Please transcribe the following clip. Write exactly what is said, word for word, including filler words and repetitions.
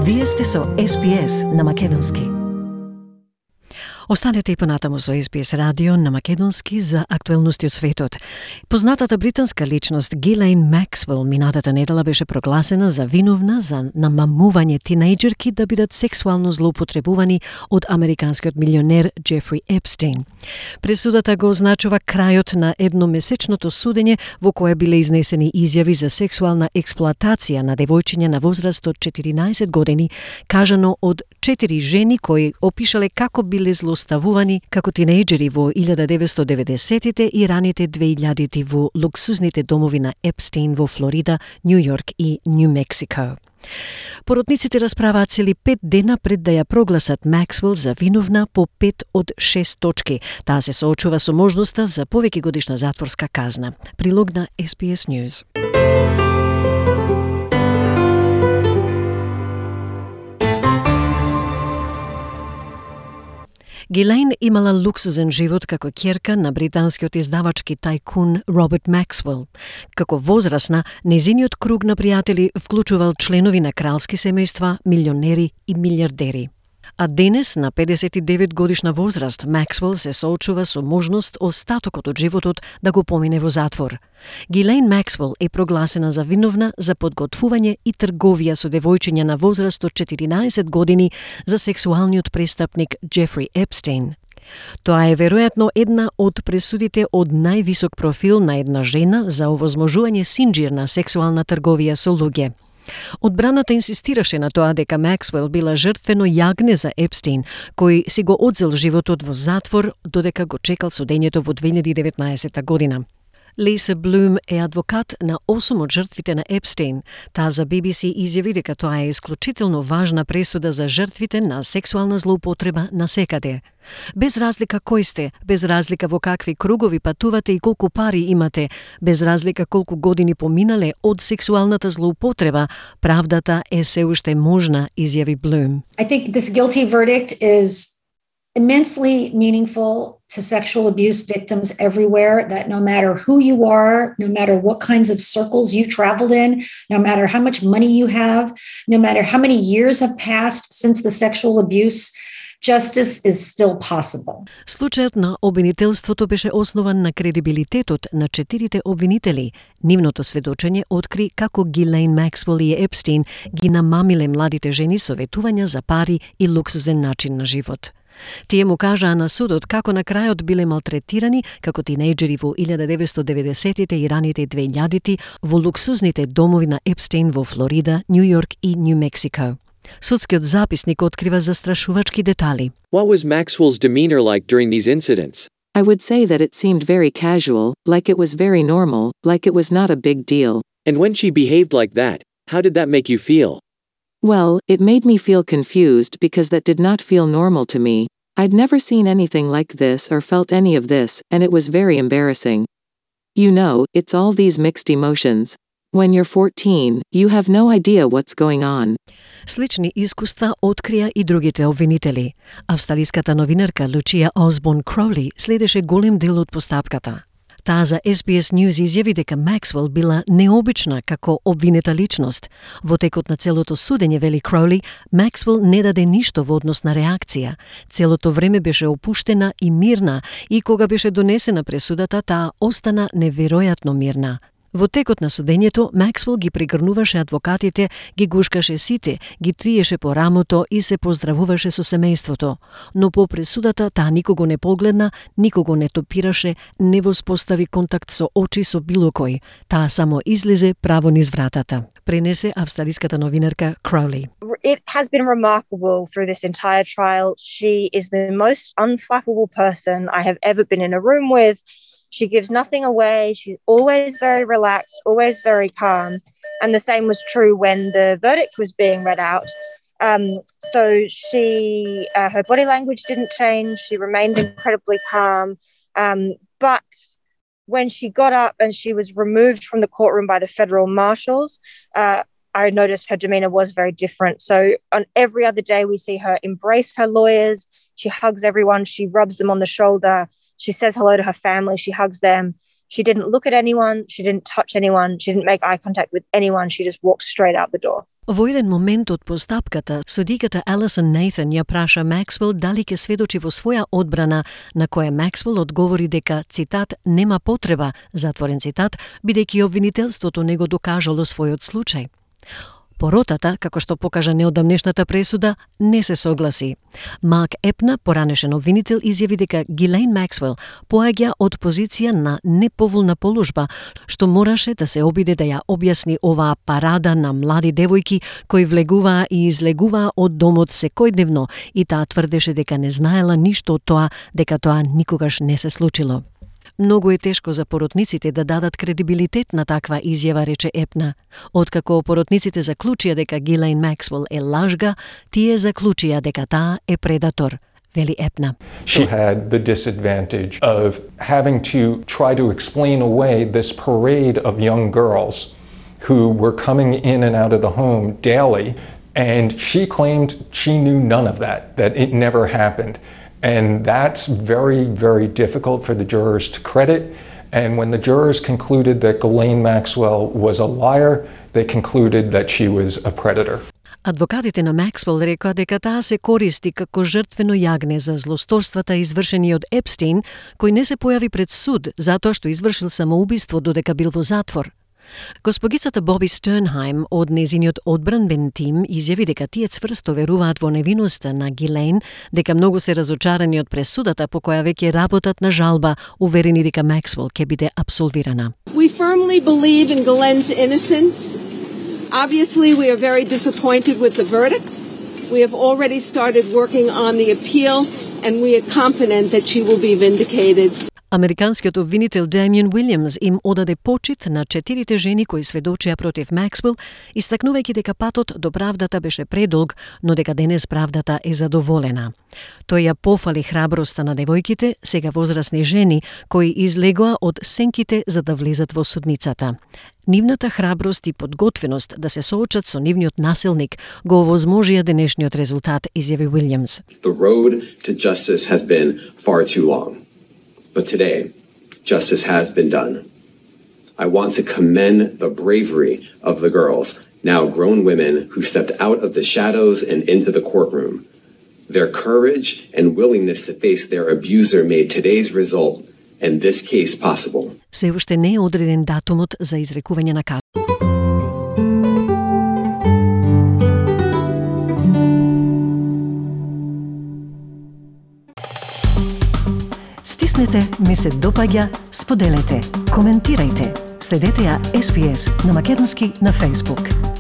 Вие сте со Ес Би Ес на македонски. Останете и понатаму со Ес Би Ес радио на македонски за актуелности од светот. Познатата британска личност Гилейн Максвел минатата недела беше прогласена за виновна за намамување тинејџерки да бидат сексуално злоупотребувани од американскиот милионер Джефри Епстейн. Пресудата го означува крајот на едномесечното судење во кое биле изнесени изјави за сексуална експлоатација на девојчиња на возраст од четиринаесет години, кажано од четири жени кои опишале како биле злоставувани како тинејџери во илјада деветстотини и деветдесетите и раните две илјадити во луксузните домови на Епстейн во Флорида, Њу Јорк и Њу Мексико. Поротниците расправаат цели пет дена пред да ја прогласат Максвел за виновна по пет од шест точки. Таа се соочува со можноста за повеќе годишна затворска казна. Прилог на Ес Би Ес News. Гилейн имала луксузен живот како ќерка на британскиот издавачки тајкун Роберт Максвел. Како возрасна, незиниот круг на пријатели вклучувал членови на кралски семејства, милионери и милиардери. А денес, на педесет и девет годишна возраст, Максвел се соочува со можност остатокот од животот да го помине во затвор. Гилейн Максвел е прогласена за виновна за подготвување и трговија со девојчиња на возраст од четиринаесет години за сексуалниот престапник Джефри Епстейн. Тоа е веројатно една од пресудите од највисок профил на една жена за овозможување синџир на сексуална трговија со луѓе. Одбраната инсистираше на тоа дека Максвел била жртвено јагне за Епстейн, кој си го одзел животот во затвор додека го чекал судењето во две илјади и деветнаесета година. Лиса Блум е адвокат на осум од жртвите на Епстейн. Таа за Би Би Си изјави дека тоа е исклучително важна пресуда за жртвите на сексуална злоупотреба насекаде. Без разлика кој сте, без разлика во какви кругови патувате и колку пари имате, без разлика колку години поминале од сексуалната злоупотреба, правдата е се уште можна, изјави Блум. I think this guilty verdict is immensely meaningful to sexual abuse victims everywhere, that no matter who you are, no matter what kinds of circles you traveled in, no matter how much money you have, no matter how many years have passed since the sexual abuse, justice is still possible. Случајот на обвинителството беше основан на кредибилитетот на четирите обвинители. Нивното сведочење откри како Гилейн Максвел и Епстейн ги намамиле младите жени со ветувања за пари и луксузен начин на живот. Тие му кажаа на судот како на крајот биле малтретирани како тинејџери во илјада деветстотини и деветдесетите и раните две илјадити во луксузните домови на Епстейн во Флорида, Њу Јорк и Њу Мексико. Судскиот записник открива застрашувачки детали. What was Maxwell's demeanor like during these incidents? I would say that it seemed very casual, like it was very normal, like it was not a big deal. And when she behaved like that, how did that make you feel? Well, it made me feel confused because that did not feel normal to me. I'd never seen anything like this or felt any of this, and it was very embarrassing. You know, it's all these mixed emotions. When you're fourteen, you have no idea what's going on. Слични искуства открија и другите обвинители. Австралиската новинарка Лучија Осборн Кроули следеше голем дел од постапката. Таа за Ес Би Ес News изјави дека Максвел била необична како обвинета личност. Во текот на целото судење, вели Кроули, Максвел не даде ништо во однос на реакција. Целото време беше опуштена и мирна и кога беше донесена пресудата, таа остана неверојатно мирна. Во текот на судењето, Максвел ги пригрнуваше адвокатите, ги гушкаше сите, ги триеше по рамото и се поздравуваше со семејството. Но по пресудата таа никого не погледна, никого не топираше, не воспостави контакт со очи со било кој. Таа само излезе право низ вратата. Пренесе австралиската новинарка Кроули. It has been remarkable through this entire trial. She is the most unflappable person I have ever been in a room with. She gives nothing away. She's always very relaxed, always very calm. And the same was true when the verdict was being read out. Um, so she, uh, her body language didn't change. She remained incredibly calm. Um, but when she got up and she was removed from the courtroom by the federal marshals, uh, I noticed her demeanor was very different. So on every other day, we see her embrace her lawyers. She hugs everyone. She rubs them on the shoulder. She says hello to her family. She hugs them. She didn't look at anyone, she didn't touch anyone, she didn't make eye contact with anyone, she just walked straight out the door. Во еден момент од постапката, судиката Алисон Нейтан ја праша Максвел дали ќе сведочи во своја одбрана, на која Максвел одговори дека, цитат, нема потреба, затворен цитат, бидејќи обвинителството не го докажало својот случај. Поротата, како што покажа неодамнешната пресуда, не се согласи. Марк Епна, поранешен обвинител, изјави дека Гилейн Максвел поаѓа од позиција на неповолна положба, што мораше да се обиде да ја објасни оваа парада на млади девојки кои влегуваа и излегуваа од домот секојдневно, и таа тврдеше дека не знаела ништо од тоа, дека тоа никогаш не се случило. Многу е тешко за поротниците да дадат кредибилитет на таква изјава, рече Епна. Откако поротниците заклучија дека Гилейн Максвел е лажга, тие заклучија дека таа е предатор, вели Епна. She had the disadvantage of having to try to explain away this parade of young girls who were coming in and out of the home daily, and she claimed she knew none of that, that it never happened. And that's very, very difficult for the jurors to credit. And when the jurors concluded that Ghislaine Maxwell was a liar, they concluded that she was a predator. Адвокатите на Максвел рекоа дека таа се користи како жртвено јагне за злосторствата извршени од Епстин, кој не се појави пред суд затоа што извршил самоубиство додека бил во затвор. Госпогицата Боби Стернхајм од незиниот одбранбен тим изјави дека тие цврсто веруваат во невиноста на Гилейн, дека многу се разочарани од пресудата по која веќе работат на жалба, уверени дека Максвел ќе биде абсолвирана. We firmly believe in Ghislaine's innocence. Obviously, we are very disappointed with the verdict. We have already started working on the appeal, and we are confident that she will be vindicated. Американскиот обвинител Дамиен Уилјамс им одаде почит на четирите жени кои сведочија против Максвел, истакнувајќи дека патот до правдата беше предолг, но дека денес правдата е задоволена. Тој ја пофали храброста на девојките, сега возрасни жени, кои излегоа од сенките за да влезат во судницата. Нивната храброст и подготвеност да се соочат со нивниот насилник го овозможија денешниот резултат, изјави Уилјамс. The road to justice has been far too long. But today, justice has been done. I want to commend the bravery of the girls, now grown women, who stepped out of the shadows and into the courtroom. Their courage and willingness to face their abuser made today's result and this case possible. Се уште не е одреден датумот за изрекување на казна. Стиснете, ми се допаѓа, споделете, коментирајте. Следете ја Ес Би Ес на македонски на Facebook.